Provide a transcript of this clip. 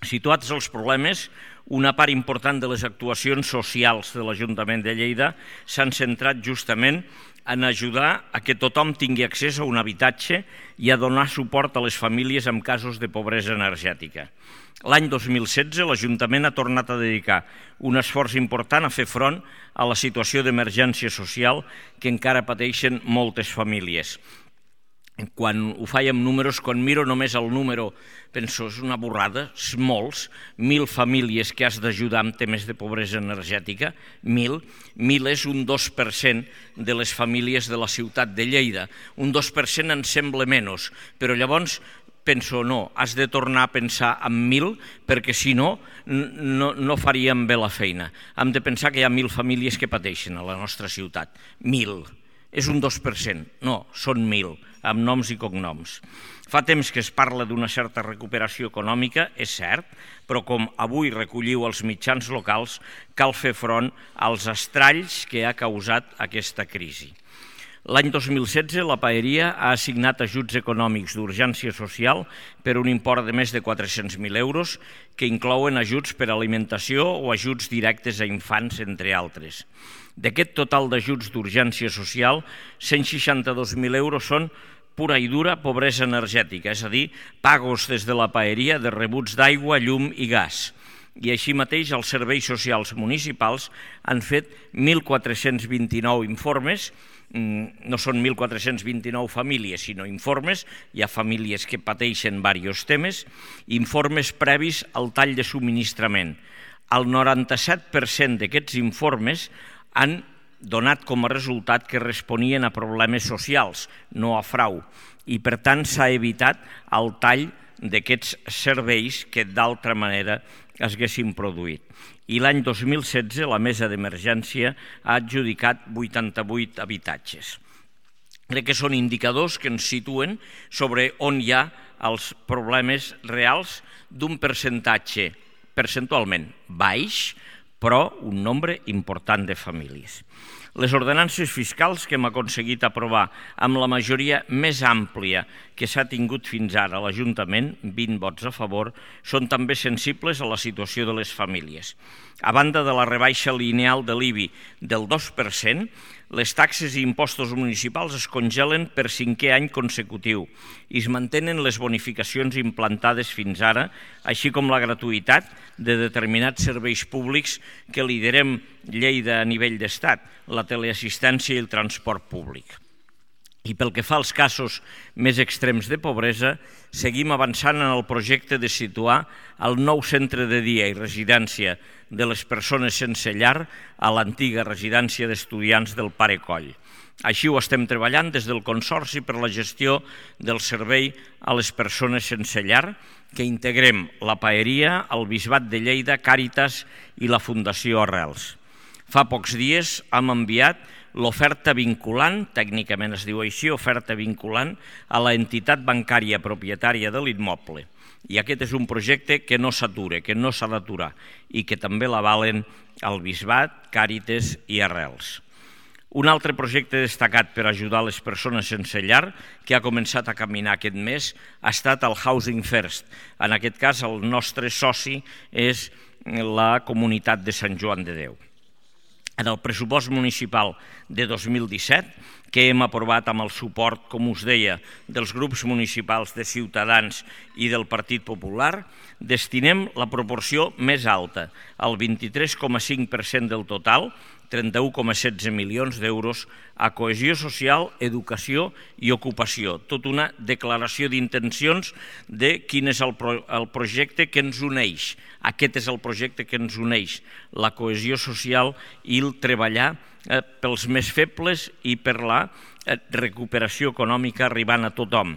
Situats els problemes, una part important de les actuacions socials de l'Ajuntament de Lleida s'han centrat justament en ajudar a que tothom tingui accés a un habitatge i a donar suport a les famílies en casos de pobresa energètica. L'any 2016 l'Ajuntament ha tornat a dedicar un esforç important a fer front a la situació d'emergència social que encara pateixen moltes famílies. Quan ho faig amb números, quan miro només el número, penso, és una borrada, és molts, 1.000 famílies que has d'ajudar amb temes de pobresa energètica, 1.000 és un 2% de les famílies de la ciutat de Lleida. Un 2% en sembla menys, però llavors penso, no, has de tornar a pensar en 1.000 perquè si no, no faríem bé la feina. Hem de pensar que hi ha 1.000 famílies que pateixen a la nostra ciutat, 1.000. És un 2%, no, són 1.000, amb noms i cognoms. Fa temps que es parla d'una certa recuperació econòmica, és cert, però com avui recolliu els mitjans locals, cal fer front als estralls que ha causat aquesta crisi. L'any 2016 la Paeria ha assignat ajuts econòmics d'urgència social per un import de més de 400.000 euros que inclouen ajuts per alimentació o ajuts directes a infants, entre altres. D'aquest total d'ajuts d'urgència social, 162.000 euros són pura i dura pobresa energètica, és a dir, pagos des de la Paeria de rebuts d'aigua, llum i gas. I així mateix els serveis socials municipals han fet 1.429 informes, no són 1.429 famílies, sinó informes, hi ha famílies que pateixen diversos temes, informes previs al tall de subministrament. El 97% d'aquests informes han donat com a resultat que responien a problemes socials, no a frau, i per tant s'ha evitat el tall d'aquests serveis que d'altra manera es haguessin produït. I l'any 2016 la Mesa d'Emergència ha adjudicat 88 habitatges. Crec que són indicadors que ens situen sobre on hi ha els problemes reals d'un percentatge percentualment baix, però un nombre important de famílies. Les ordenances fiscals que hem aconseguit aprovar amb la majoria més àmplia que s'ha tingut fins ara a l'Ajuntament, 20 vots a favor, són també sensibles a la situació de les famílies. A banda de la rebaixa lineal de l'IBI del 2%, les taxes i impostos municipals es congelen per 5è any consecutiu i es mantenen les bonificacions implantades fins ara, així com la gratuïtat de determinats serveis públics que liderem Lleida a nivell d'estat, la teleassistència i el transport públic. I pel que fa als casos més extrems de pobresa, seguim avançant en el projecte de situar el nou centre de dia i residència de les persones sense llar a l'antiga residència d'estudiants del Pare Coll. Així ho estem treballant des del Consorci per la gestió del servei a les persones sense llar, que integrem la Paeria, el Bisbat de Lleida, Càritas i la Fundació Arrels. Fa pocs dies hem enviat l'oferta vinculant, tècnicament es diu així, oferta vinculant, a l'entitat bancària propietària de l'immoble. I aquest és un projecte que no s'atura, que no s'ha d'aturar i que també l'avalen el Bisbat, Càritas i Arrels. Un altre projecte destacat per ajudar les persones sense llar, que ha començat a caminar aquest mes, ha estat el Housing First. En aquest cas, el nostre soci és la comunitat de Sant Joan de Déu. En el pressupost municipal de 2017, que hem aprovat amb el suport, com us deia, dels grups municipals de Ciutadans i del Partit Popular, destinem la proporció més alta, el 23,5% del total, 31,16 milions d'euros, a cohesió social, educació i ocupació. Tot una declaració d'intencions de quin és el projecte que ens uneix. Aquest és el projecte que ens uneix, la cohesió social i el treballar pels més febles i per la recuperació econòmica arribant a tothom.